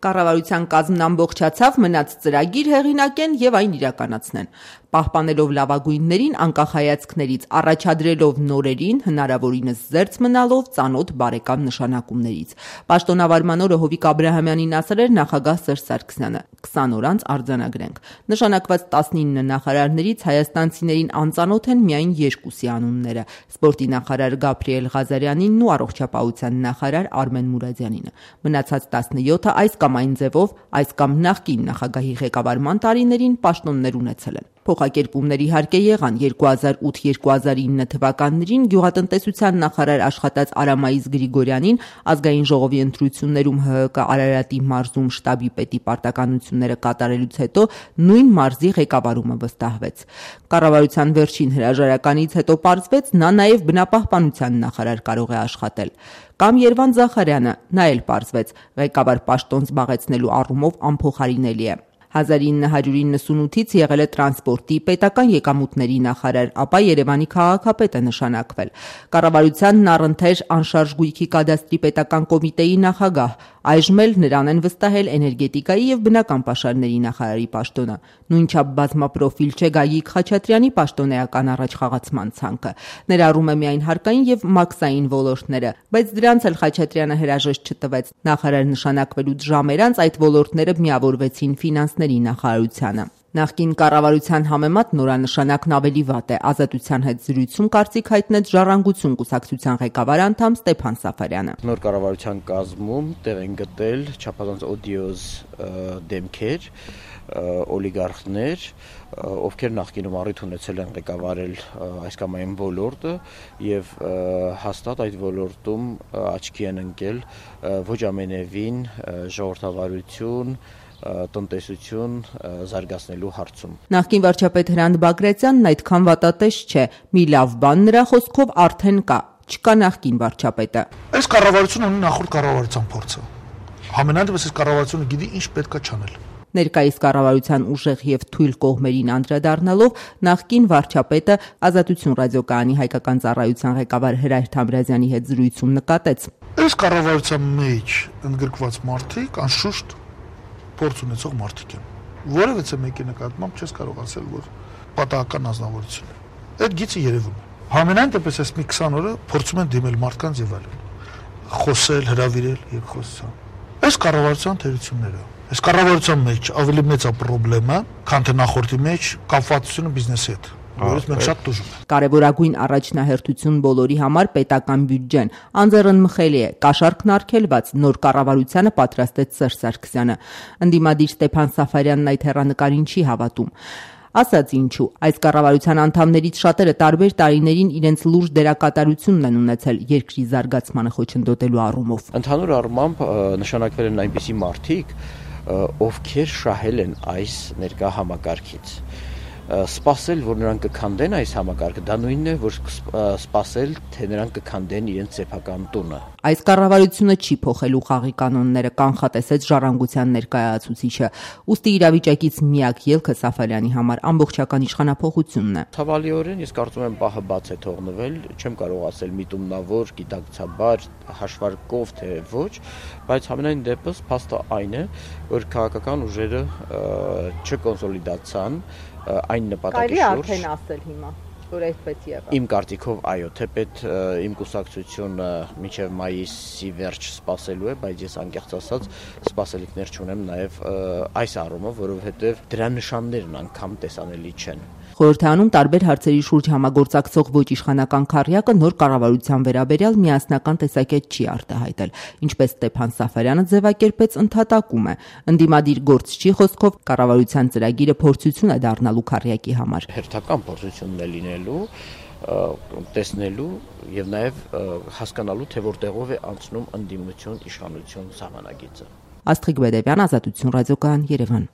Կառավարության կազմն ամբողջացավ, մնաց ծրագիր հեղինակեն եւ այն իրականացնեն, պահպանելով լավագույններին անկախ հայացքներից, առաջադրելով նորերին, հնարավորինս զերծ մնալով ծանոթ բարեկամ նշանակումներից։ Պաշտոնավարման օրը Հովիկ Աբրահամյանին ասել էր նախագահ Սերժ Սարգսյանը. 20 օր անց արձանագրենք։ Նշանակված 19 նախարարներից հայաստանցիներին անծանոթ են միայն 2-ի անունները՝ սպորտի նախարար Գաբրիել Ղազարյանինն ու առողջապահության նախարար Արմեն Մուրադյանինը։ Մնացած 17-ը այս կամ այն ձևով, այս կամ նախկին նախագահի ղեկավարման տարիներին պաշտոններ ունեցել են։ Փոխակերպումներ իհարկե եղան 2008-2009 թվականներին գյուղատնտեսության նախարար աշխատած Արամայիս Գրիգորյանին ազգային ժողովի ընտրություններում ՀՀԿ Արարատի մարզում շտաբի պետի պարտականությունները կատարելուց հետո նույն մարզի ղեկավարումը վստահվեց։ Կառավարության վերջին հրաժարականից հետո պարզվեց, նա նաև բնապահպանության նախարար կարող է աշխատել։ Կամ Երվան Զախարյանը, նա էլ պարզվեց, ղեկավար պաշտոն զբաղեցնելու առումով անփոխարինելի է։ 1998-ից եղել է տրանսպորտի, պետական եկամուտների նախարար, ապա Երևանի քաղաքապետ է նշանակվել։ Կառավարությանն առընթեր անշարժ գույքի կադաստրի պետական կոմիտեի նախագահ, այժմ էլ նրան են վստահել էներգետիկայի եւ բնական պաշարների նախարարի պաշտոնը։ Նույնչափ բազմապրոֆիլ չէ Գագիկ Խաչատրյանի պաշտոնեական առաջխաղացման ցանկը։ Ներառում է միայն հարկային եւ մաքսային ոլորտները, բայց դրանց էլ Խաչատրյանը հրաժեշտ չտվեց։ Նախարար նշանակվելուց ժամեր անց այդ ոլորտները միավորվեցին ֆինանսների նախարարությանը։ Նախկին կառավարության համեմատ նորանշանակն ավելի վատ է։ Ազատության հետ զրույցում կարծիք հայտնեց Ժառանգություն կուսակցության ղեկավար անդամ Ստեփան Սաֆարյանը։ Նոր կառավարության կազմում տեղ են գտել չափազանց օդիոզ դեմքեր, օլիգարխներ, ովքեր նախկինում առիթ ունեցել են ղեկավարել այս կամ այն ոլորտը եւ հաստատ այդ ոլորտում աչքի են ընկել ոչ ամենևին ժողովրդավարություն, տնտեսություն զարգացնելու հարցում։ Նախկին վարչապետ Հրանտ Բագրատյանն այդքան վատատես չէ։ Մի լավ բան նրա խոսքով արդեն կա, չկա նախկին վարչապետը։ Այս կառավարությունը ունի նախորդ կառավարության փորձը։ Համենայն դեպս այս կառավարությունը գիտի ինչ պետք է չանել։ Ներկայիս կառավարության ուժեղ եւ թույլ կողմերին անդրադառնալով նախկին վարչապետը Ազատություն ռադիոկայանի հայկական ծառայության ղեկավար Հրայր Թամրազյանի հետ զրույցում նկատեց. Այս կառավարության մեջ ընդգրկված մարդիկ անշուշտ փորձ ունեցող մարդիկ են։ Որևէ մեկի նկատմամբ չես կարող ասել, որ պատահական ազնվորություն է։ Այդ գիծը երևում է։ Համենայն դեպս այս մի 20 օրը փորձում են դիմել մարդկանց եւ այլն։ Խոսել, հրավիրել եւ խոսալ։ Այս կառավարության թերությունները։ Այս կառավարության մեջ ավելի մեծ է խնդրեմը, քան թե նախորդի մեջ կապվածությունը բիզնեսի հետ։ Որից մենք շատ տուժում ենք։ Կարևորագույն առաջնահերթություն բոլորի համար պետական բյուջեն։ Անձեռնմխելի է, կաշառքն արգելված, նոր կառավարությանը պատրաստեց Սերժ Սարգսյանը։ Ընդդիմադիր Ստեփան Սաֆարյանն այդ հեռանկարին չի հավատում։ Ասած ինչու, այս կառավարության անդամներից շատերը տարբեր տարիներին իրենց լուրջ դերակատարությունն են ունեցել երկրի զարգացմանը խոչընդոտելու առումով։ Ընդհանուր առմամբ նշանակվել են այնպիսի մարդիկ, ովքեր շահել են այս ներկա համակարգից։ Սպասել, որ նրանք կքանդեն այս համակարգը, դա նույնն է, որ սպասել, թե նրանք կքանդեն իրենց սեփական տունը։ Այս կառավարությունը չի փոխելու խաղի կանոնները, կանխատեսեց Ժառանգության ներկայացուցիչը։ Ուստի իրավիճակից միակ ելքը Սաֆարյանի համար ամբողջական իշխանափոխությունն է։ Ցավալիորեն ես կարծում եմ պահը բաց է թողնվել, չեմ կարող ասել միտումնավոր, գիտակցաբար, հաշվարկով թե ոչ, բայց համենայն դեպս փաստը այն է, որ քաղաքական ուժերը չկոնսոլիդացան այն նպատակի շուրջ։ Կարելի արդեն ասել հիմա, որ այդպես եղավ։ Իմ կարծիքով այո, թեպետ իմ կուսակցությունը մինչև մայիսի վերջ սպասելու է, բայց ես անկեղծ ասած սպասելիքներ չունեմ նաև այս առումով, որովհետև դրա նշաններն անգամ տեսանելի չեն։ Խորհրդարանում տարբեր հարցերի շուրջ համագործակցող ոչ իշխանական քառյակը նոր կառավարության վերաբերյալ միասնական տեսակետ չի արտահայտել, ինչպես Ստեփան Սաֆարյանը ձևակերպեց, ընդհատակում է։ Ընդդիմադիր գործչի խոսքով կառավարության ծրագիրը փորձություն է դառնալու քառյակի համար։ Հերթական փորձությունն է լինելու, տեսնելու եւ նաեւ հասկանալու, թե որտեղով է անցնում ընդդիմություն իշխանություն սահմանագիծը։ Աստղիկ Բեդևյան, Ազատություն ռադիոկայան, Երևան։